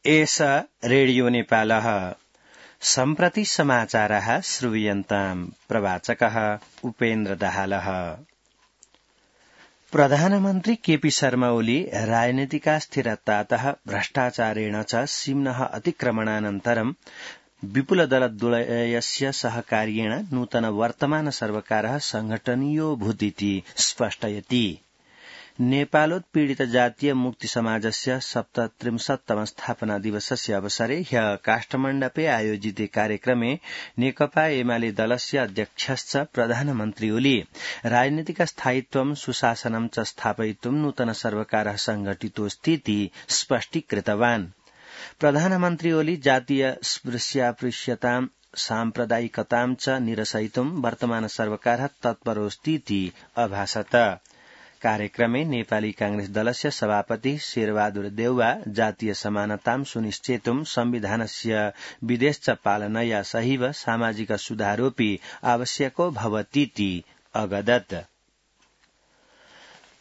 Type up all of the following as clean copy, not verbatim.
एष रेडियो नेपालः सम्प्रति समाचारः श्रूयन्ताम् प्रवाचकः उपेन्द्र दाहालः। प्रधानमन्त्री केपी शर्मा ओली राजनीतिका स्थिरतातः भ्रष्टाचारेण च सीम्नः अतिक्रमणानन्तरं विपुलदलद्वयस्य सहकार्येण नूतन वर्तमान सर्वकारः संघटनीयो भूतिति स्पष्टयति। नेपालोत्पीडित जातीय मुक्ति समाजस्य 37तम स्थापना दिवसस्य अवसरे ह्यः काष्ठमण्डपे आयोजिते कार्यक्रमे नेकपा एमाले दलस्य अध्यक्षश्च प्रधानमन्त्री ओली राजनीतिक स्थायित्वं सुशासनं च स्थापयितुं नूतन सर्वकारः संघटितोऽस्तीति स्पष्टीकृतवान्। प्रधानमन्त्री ओली जातीय स्पृश्यापृश्यतां साम्प्रदायिकतां च निरसयितुं वर्तमान सर्वकारः तत्परोऽस्तीति अभाषत। कार्यक्रमे नेपाली कांग्रेस दलस्य सभापति शेरबहादुर देउवा जातीय समानतां सुनिश्चेतुं संविधानस्य विदेश पालनया सहैव सामाजिक सुधारोऽपि आवश्यको भवतीति अगदत्।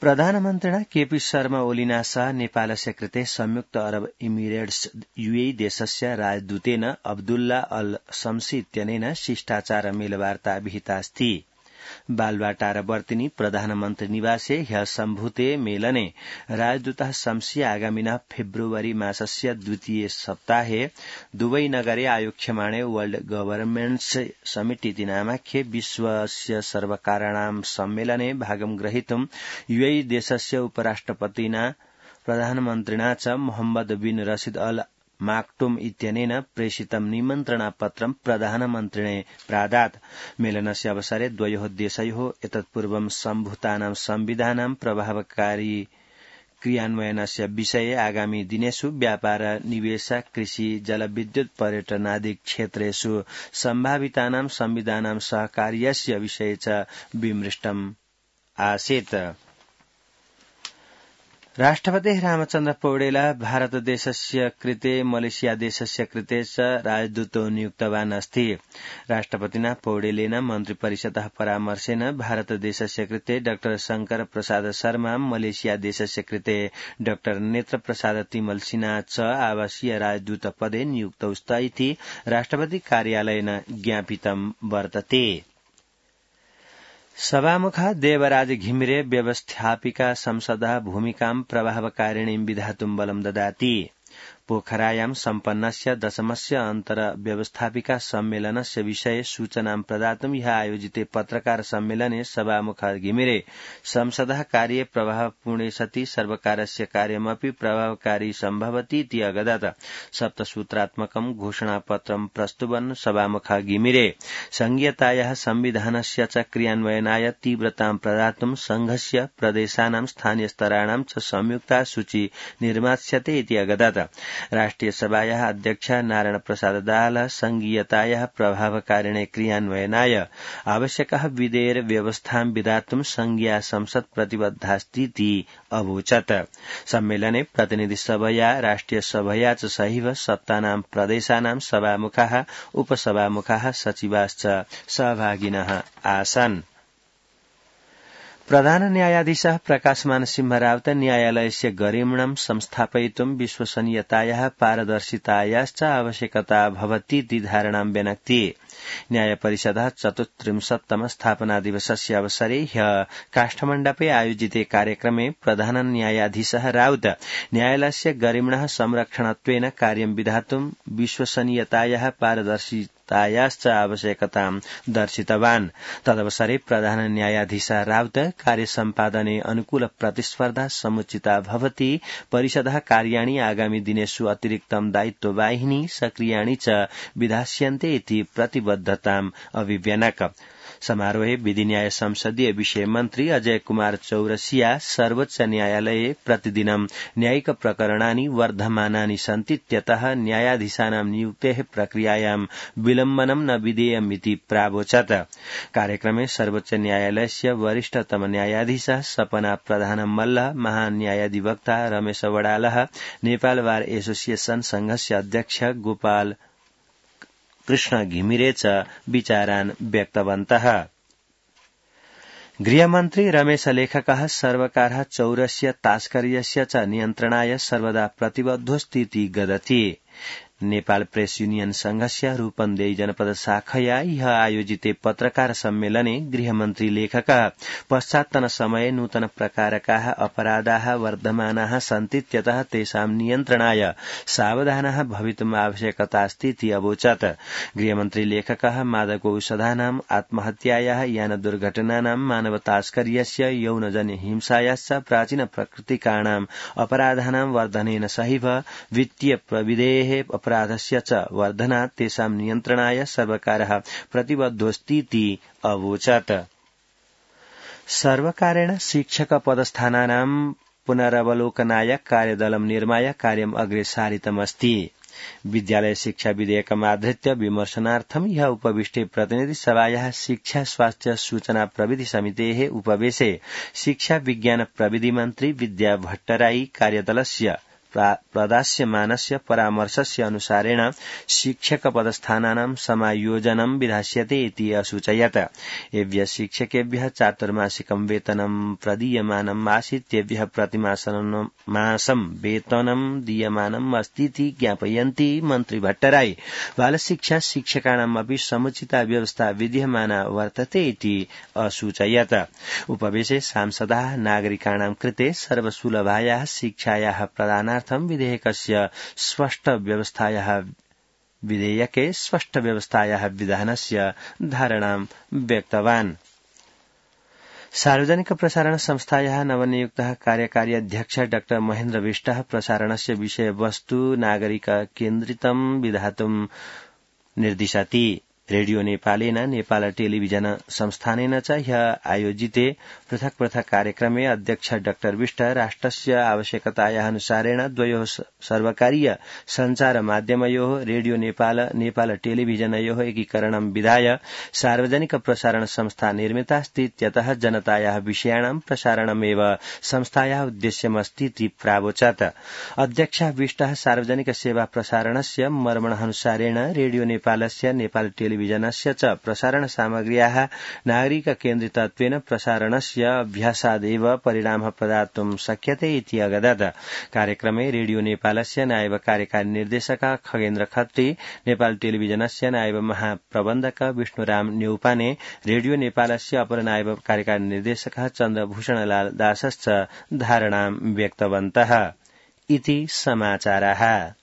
प्रधानमन्त्रिणा केपी शर्मा ओलिना सह नेपालस्य कृते संयुक्त अरब इमिरेट्स यूएई देशस्य राजदूतेन अब्दुल्ला अल शम्सी इत्यनेन शिष्टाचार मेलवार्ता विहितास्ति। बालवाटारवर्तिनी प्रधानमन्त्री निवासे ह्यः सम्भूते मेलने राजदूतः शम्सी आगामिनः फेब्रुवरी मासस्य द्वितीय सप्ताहे दुबई नगरे आयोक्ष्यमाणे वर्ल्ड गभर्नमेन्ट्स समिट इति नामाख्ये विश्वस्य सर्वकाराणां सम्मेलने भागं ग्रहीतुं यूएई देशस्य उपराष्ट्रपतिना प्रधानमन्त्रिणा च मोहम्मद बिन रशीद अल माक्टुम इत्यनेन प्रेषितं निमन्त्रणापत्रं प्रधानमन्त्रिणे प्रादात्। मेलनस्य अवसरे द्वयोः देशयोः एतत्पूर्वं सम्भूतानां संविधानां प्रभावकारी क्रियान्वयनस्य विषये आगामी दिनेषु व्यापार निवेश कृषि जलविद्युत पर्यटनादि क्षेत्रेषु सम्भावितानां संविधानां सहकार्यस्य विषये च विमृष्टम् आसीत्। राष्ट्रपतिः रामचन्द्र पौडेल भारत देशस्य कृते मलेशिया देशस्य कृते च राजदूतो नियुक्तवान् अस्ति। राष्ट्रपतिना पौडेलेन मन्त्रिपरिषदः परामर्शेन भारत देशस्य कृते डॉ शंकर प्रसाद शर्मा मलेशिया देशस्य कृते डॉ नेत्र प्रसाद तिमल सिन्हा च आवासीय राजदूत पदे नियुक्तौ स्त इति राष्ट्रपति कार्यालयेन ज्ञापितं वर्तते। सभामुखः देवराज घिमिरे व्यवस्थापिका संसदः भूमिकां प्रभावकारिणीं विधातुं बलं ददाति। पोखरायां सम्पन्नस्य दशमस्य अन्तर व्यवस्थापिका सम्मेलनस्य विषये सूचनां प्रदातुं ह्यः आयोजिते पत्रकार सम्मेलने सभामुखः घिमिरे संसदः कार्ये प्रभावपूर्णे सति सर्वकारस्य कार्यमपि प्रभावकारी सम्भवति इति अगदत्। सप्तसूत्रात्मकं घोषणापत्रं प्रस्तुवन् सभामुखः घिमिरे संघीयतायाः संविधानस्य च क्रियान्वयनाय तीव्रतां प्रदातुं संघस्य प्रदेशानां स्थानीयस्तराणां च संयुक्ता सूची निर्मास्यते इति अगदत्। राष्ट्रिय सभायाः अध्यक्ष नारायण प्रसाद दाहालः संघीयतायाः प्रभावकारिणे क्रियान्वयनाय आवश्यकः विधेयर व्यवस्थां विधातुं संघीया संसद प्रतिबद्धास्तीति अवोचत्। सम्मेलने प्रतिनिधि सभया राष्ट्रिय सभया च सहैव सत्तानां प्रदेशानां सभामुखाः उपसभामुखाः सचिवाश्च सहभागिनः आसन्। प्रधान न्यायाधीशः प्रकाशमान सिंहरावत न्यायालयस्य गरिमणं संस्थापयितुं विश्वसनीयतायाः पारदर्शितायाश्च आवश्यकता भवतीति धारणां व्यनक्ति। न्यायपरिषदः 34तम स्थापना दिवसस्य अवसरे ह्यः काष्ठमण्डपे आयोजिते कार्यक्रमे प्रधान न्यायाधीशः राउत न्यायालयस्य गरिमणः संरक्षणत्वेन कार्यं विधातुं विश्वसनीयतायाः पारदर्शितायाश्च आवश्यकतां दर्शितवान्। तदवसरे प्रधान न्यायाधीशः राउत कार्यसम्पादने अनुकूल प्रतिस्पर्धा समुचिता भवति परिषदः कार्याणि आगामी दिनेषु अतिरिक्तं दायित्ववाहिनी सक्रियाणि च विधास्यन्ते इति प्रतिबद्धताम् अभिव्यनक। समारोहे विधि न्याय संसदीय विषय मन्त्री अजय कुमार चौरसिया सर्वोच्च न्यायालये प्रतिदिनं न्यायिक प्रकरणानि वर्धमानानि सन्तीत्यतः न्यायाधीशानां नियुक्तेः प्रक्रियायां विलम्बनं न विधेयमिति प्रावोचत्। कार्यक्रमे सर्वोच्च न्यायालयस्य वरिष्ठतम न्यायाधीशः सपना प्रधान मल्ल महान्यायाधिवक्ता रमेश वडालः नेपाल बार एसोसिएशन संघस्य अध्यक्ष गोपाल कृष्ण घिमिरे च विचारान् व्यक्तवन्तः। गृहमन्त्री रमेश लेखकः सर्वकारः चौरस्य तास्कर्यस्य च नियन्त्रणाय सर्वदा प्रतिबद्धोस्तीति गदति। नेपाल प्रेस यूनियन संघस्य रूपन्देही जनपद शाखया ह्य आयोजिते पत्रकार सम्मेलने गृहमन्त्री लेखकः पश्चात्तन समये नूतन प्रकारकाः अपराधाः वर्धमानाः सन्तीत्यतः तेषां नियन्त्रणाय सावधानाः भवितुम् आवश्यकतास्तीति अवोचत्। गृहमन्त्री लेखकः मादकौषधानाम् आत्महत्यायाः यान दुर्घटनानां मानवतास्कर्यस्य यौनजन्य हिंसायाश्च प्राचीन प्रकृतिकाणाम् अपराधानां वर्धनेन सहैव वित्तीय प्रविधेः अपराधस्य च वर्धनात् तेषां नियन्त्रणाय सर्वकारः प्रतिबद्धोऽस्तीति अवोचत्। सर्वकारेण शिक्षक पदस्थानानां पुनरवलोकनाय कार्यदलं निर्माय कार्यम् अग्रे सारितमस्ति। विद्यालय शिक्षा विधेयकमाधृत्य विमर्शनार्थं ह्य उपविष्टे प्रतिनिधि सभायाः शिक्षा स्वास्थ्य सूचना प्रविधि समितेः उपवेशे शिक्षा विज्ञान प्रविधि मन्त्री विद्या भट्टराई कार्यदलस्य प्रदास्यमानस्य परामर्शस्य अनुसारेण शिक्षक पदस्थानानां समायोजनं विधास्यते इति असूचयत्। एभ्यः शिक्षकेभ्यः चातुर्मासिकं वेतनं प्रदीयमानम् आसीत् तेभ्यः प्रतिमासं वेतनं दीयमानम् अस्तीति ज्ञापयन्ती मन्त्री भट्टराई बालशिक्षा शिक्षकाणाम् अपि समुचिता व्यवस्था विद्यमाना वर्तते इति असूचयत्। उपवेशे सांसदाः नागरिकाणां कृते सर्वसुलभायाः शिक्षायाः प्रदानार्थं विधेयके स्पष्ट व्यवस्थायाः विधानस्य धारणां व्यक्तवान्। सार्वजनिक प्रसारण संस्थायाः नवनियुक्तः कार्यकारी अध्यक्ष डॉ महेन्द्र विष्टः प्रसारणस्य विषयवस्तु नागरिक केन्द्रितं विधातुं निर्दिशति। रेडियो नेपालेन नेपाल टेलिभिजन संस्थानेन च ह्य आयोजिते पृथक पृथक कार्यक्रमे अध्यक्ष डॉ विष्ट राष्ट्रस्य आवश्यकतायाः अनुसारेण द्वयोः सर्वकारीय सञ्चार माध्यमयोः रेडियो नेपाल टेलिभिजनयोः एकीकरणं विधाय सार्वजनिक प्रसारण संस्था निर्मितास्तीत्यतः जनतायाः विषयाणां प्रसारणमेव संस्थायाः उद्देश्यमस्तीति प्रावोचत्। अध्यक्ष विष्टः सार्वजनिक सेवा प्रसारणस्य मर्मणानुसारेण रेडियो नेपालस्य नेपाल टेलिभिजनस्य च प्रसारण सामग्र्याः नागरिक केन्द्रितत्वेन प्रसारणस्य अभ्यासादेव परिणामः प्रदातुं शक्यते इति अगदत्। कार्यक्रमे रेडियो नेपालस्य नायब कार्यकारी निर्देशक खगेन्द्र खत्री, नेपाल टेलिभिजनस्य नायब महाप्रबन्धक विष्णुराम न्यौपाने, रेडियो नेपालस्य अपर नायब कार्यकारी निर्देशक चन्द्रभूषणलाल दासश्च धारणां व्यक्तवन्तः इति समाचारः।